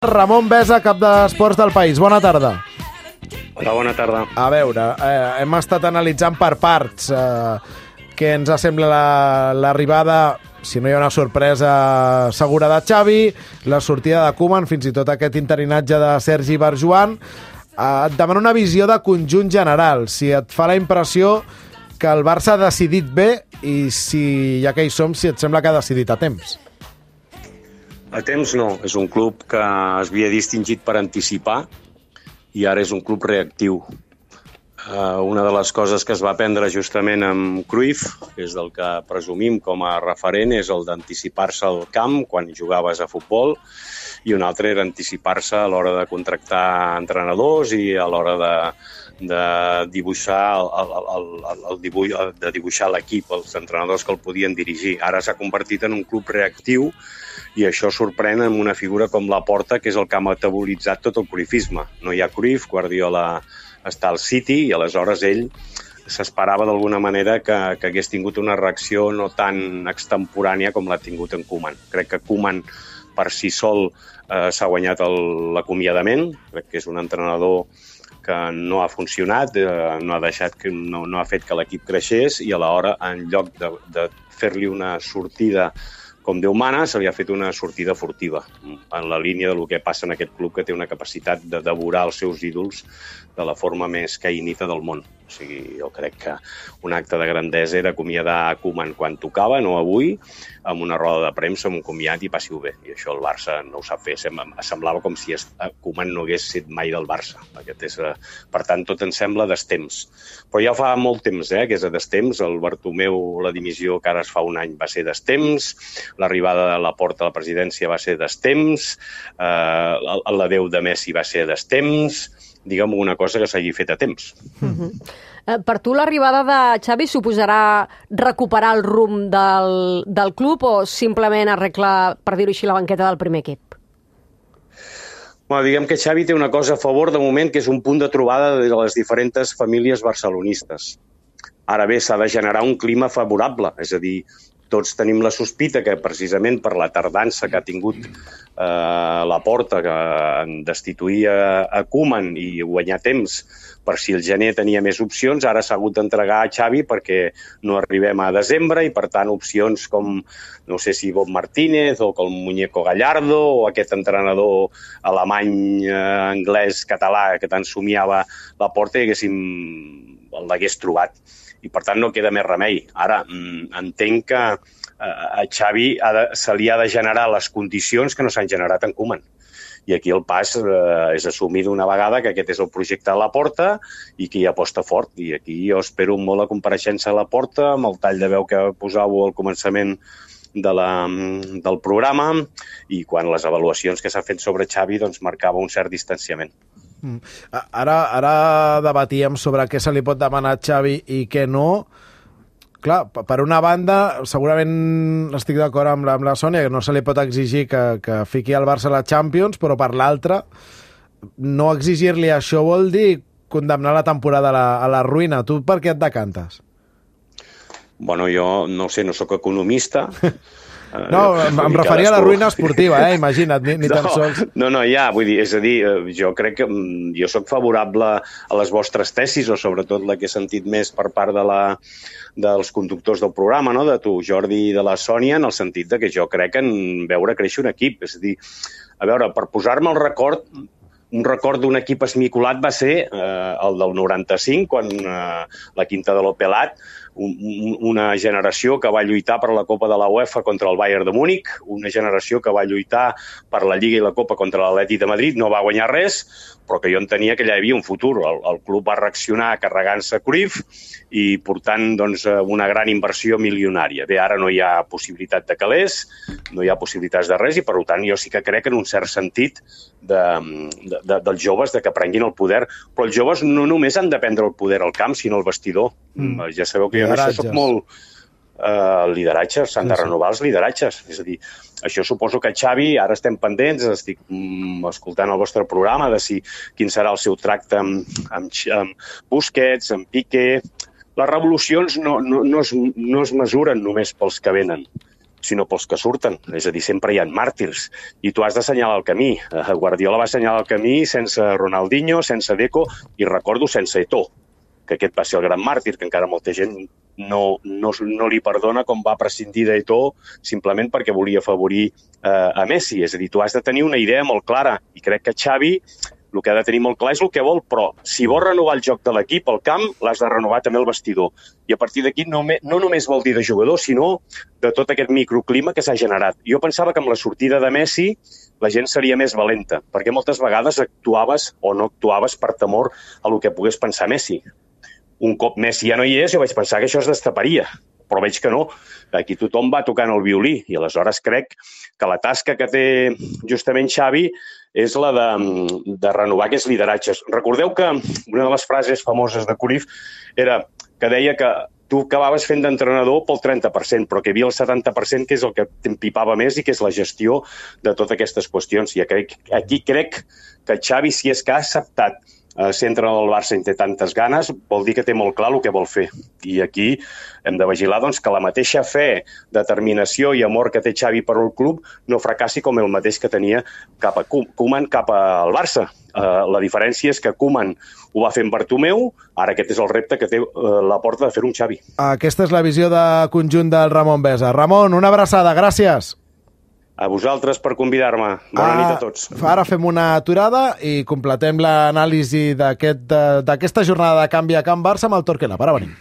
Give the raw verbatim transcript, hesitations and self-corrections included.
Ramon Besa, cap d'Esports del País. Bona tarda. Hola, bona tarda. A veure, eh, hem estat analitzant per parts eh, què ens sembla l'arribada, si no hi ha una sorpresa segura de Xavi, la sortida de Koeman, fins i tot aquest interinatge de Sergi Barjuan. Eh, et demano una visió de conjunt general, si et fa la impressió que el Barça ha decidit bé i si, ja que hi som, si et sembla que ha decidit a temps. A temps no, és un club que es havia distingit per anticipar i ara és un club reactiu. Uh, una de les coses que es va aprendre justament amb Cruyff, que és del que presumim com a referent, és el d'anticipar-se al camp quan jugaves a futbol, i un altre era anticipar-se a l'hora de contractar entrenadors i a l'hora de, de dibuixar el, el, el, el dibuix, de dibuixar l'equip, els entrenadors que el podien dirigir. Ara s'ha convertit en un club reactiu i això sorprèn amb una figura com Laporta, que és el que ha metabolitzat tot el cruyffisme. No hi ha Cruyff, Guardiola està al City i aleshores ell s'esperava d'alguna manera que, que hagués tingut una reacció no tan extemporània com l'ha tingut en Koeman. Crec que Koeman per si sol eh, s'ha guanyat l'acomiadament, crec que és un entrenador que no ha funcionat, eh, no ha deixat que, no, no ha fet que l'equip creixés i alhora, en lloc de, de fer-li una sortida com Déu mana, se li ha fet una sortida furtiva, en la línia del que passa en aquest club, que té una capacitat de devorar els seus ídols de la forma més caïnita del món. O sigui, jo crec que un acte de grandesa era acomiadar Koeman quan tocava, no avui, amb una roda de premsa, amb un comiat i passi-ho bé. I això el Barça no ho sap fer. Semblava com si Koeman no hagués set mai del Barça. Aquest és, per tant, tot ens sembla destemps. Però ja fa molt temps eh, que és a destemps. El Bartomeu, la dimissió que ara es fa un any, va ser destemps. L'arribada de Laporta a la presidència va ser destemps. Eh, l'adeu de Messi va ser destemps. Digue'm una cosa que s'hagi fet a temps. Uh-huh. eh, per tu l'arribada de Xavi suposarà recuperar el rumb del, del club o simplement arreglar, per dir-ho així, la banqueta del primer equip? Bueno, diguem que Xavi té una cosa a favor de moment, que és un punt de trobada de les diferents famílies barcelonistes. Ara bé, s'ha de generar un clima favorable, és a dir, tots tenim la sospita que precisament per la tardança que ha tingut eh, Laporta, que en destituir a, a Koeman i guanyar temps per si el gener tenia més opcions, ara s'ha hagut d'entregar a Xavi perquè no arribem a desembre i per tant opcions com, no sé si Bob Martínez o com Muñeco Gallardo o aquest entrenador alemany, eh, anglès, català que tant somiava Laporta i haguéssim l'hagués trobat. I per tant no queda més remei. Ara, entenc que a Xavi ha de, se li ha de generar les condicions que no s'han generat en Koeman. I aquí el pas eh, és assumir d'una vegada que aquest és el projecte de Laporta i que hi aposta fort. I aquí jo espero molt la compareixença de Laporta, amb el tall de veu que posàveu al començament de la, del programa i quan les avaluacions que s'ha fet sobre Xavi doncs, marcava un cert distanciament. Ara, ara debatíem sobre què se li pot demanar a Xavi i què no. Clar, per una banda, segurament estic d'acord amb la, amb la Sònia, que no se li pot exigir que, que fiqui el Barça a la Champions, però per l'altra, no exigir-li això vol dir condemnar la temporada a la, a la ruïna. Tu per què et decantes? Bueno, jo no sé, no sóc economista. No, em, em referia a la ruïna esportiva, eh? Imagina't, ni, ni no, tan sols... No, no, ja, vull dir, és a dir, jo crec que jo sóc favorable a les vostres tesis, o sobretot la que he sentit més per part de la, dels conductors del programa, no? De tu, Jordi, i de la Sònia, en el sentit de que jo crec en veure créixer un equip. És a dir, a veure, per posar-me el record, un record d'un equip esmicolat va ser eh, el del noranta-cinc, quan eh, la Quinta de l'Opelat, un, una generació que va lluitar per la Copa de la UEFA contra el Bayern de Múnich, una generació que va lluitar per la Lliga i la Copa contra l'Atlètic de Madrid, no va guanyar res, però que jo entenia que allà hi havia un futur. El, el club va reaccionar carregant-se Cruyff i portant doncs, una gran inversió milionària. Bé, ara no hi ha possibilitat de calés, no hi ha possibilitats de res i, per tant, jo sí que crec en un cert sentit de, de, de, dels joves de que prenguin el poder. Però els joves no només han de prendre el poder al camp, sinó al vestidor. Mm. Ja sabeu que jo en això soc molt... Uh, lideratges, s'han de renovar els lideratges. És a dir, això suposo que Xavi, ara estem pendents, estic mm, escoltant el vostre programa de si quin serà el seu tracte amb, amb, amb Busquets, amb Piqué. Les revolucions no, no, no, es, no es mesuren només pels que venen. sinó pels que surten. És a dir, sempre hi ha màrtirs. I tu has d'assenyalar el camí. Guardiola va assenyalar el camí sense Ronaldinho, sense Deco, i recordo sense Eto'o, que aquest va ser el gran màrtir, que encara molta gent no, no, no li perdona com va prescindir d'Eto'o simplement perquè volia afavorir eh, a Messi. És a dir, tu has de tenir una idea molt clara, i crec que Xavi el que ha de tenir molt clar és el que vol, però si vols renovar el joc de l'equip, el camp, l'has de renovar també el vestidor. I a partir d'aquí no, no només vol dir de jugador, sinó de tot aquest microclima que s'ha generat. Jo pensava que amb la sortida de Messi la gent seria més valenta, perquè moltes vegades actuaves o no actuaves per temor a el que pogués pensar Messi. Un cop Messi ja no hi és, jo vaig pensar que això es destaparia, però veig que no. Aquí tothom va tocant el violí i aleshores crec que la tasca que té justament Xavi és la de, de renovar aquests lideratges. Recordeu que una de les frases famoses de Cruyff era que deia que tu acabaves fent d'entrenador pel trenta per cent, però que hi havia el setanta per cent que és el que t'empipava més i que és la gestió de totes aquestes qüestions. I aquí crec que Xavi, si és que ha acceptat ser entrenador del Barça i té tantes ganes, vol dir que té molt clar el que vol fer. I aquí hem de vigilar doncs, que la mateixa fe, determinació i amor que té Xavi per al club no fracassi com el mateix que tenia cap a Koeman, cap al Barça. Uh, la diferència és que Koeman ho va fer amb Bartomeu, ara aquest és el repte que té uh, la porta de fer un Xavi. Aquesta és la visió de conjunt del Ramon Besa. Ramon, una abraçada, gràcies. A vosaltres per convidar-me. Bona ah, nit a tots. Ara fem una aturada i completem l'anàlisi d'aquesta jornada de canvi a Can Barça amb el Torquemada. Ara venim.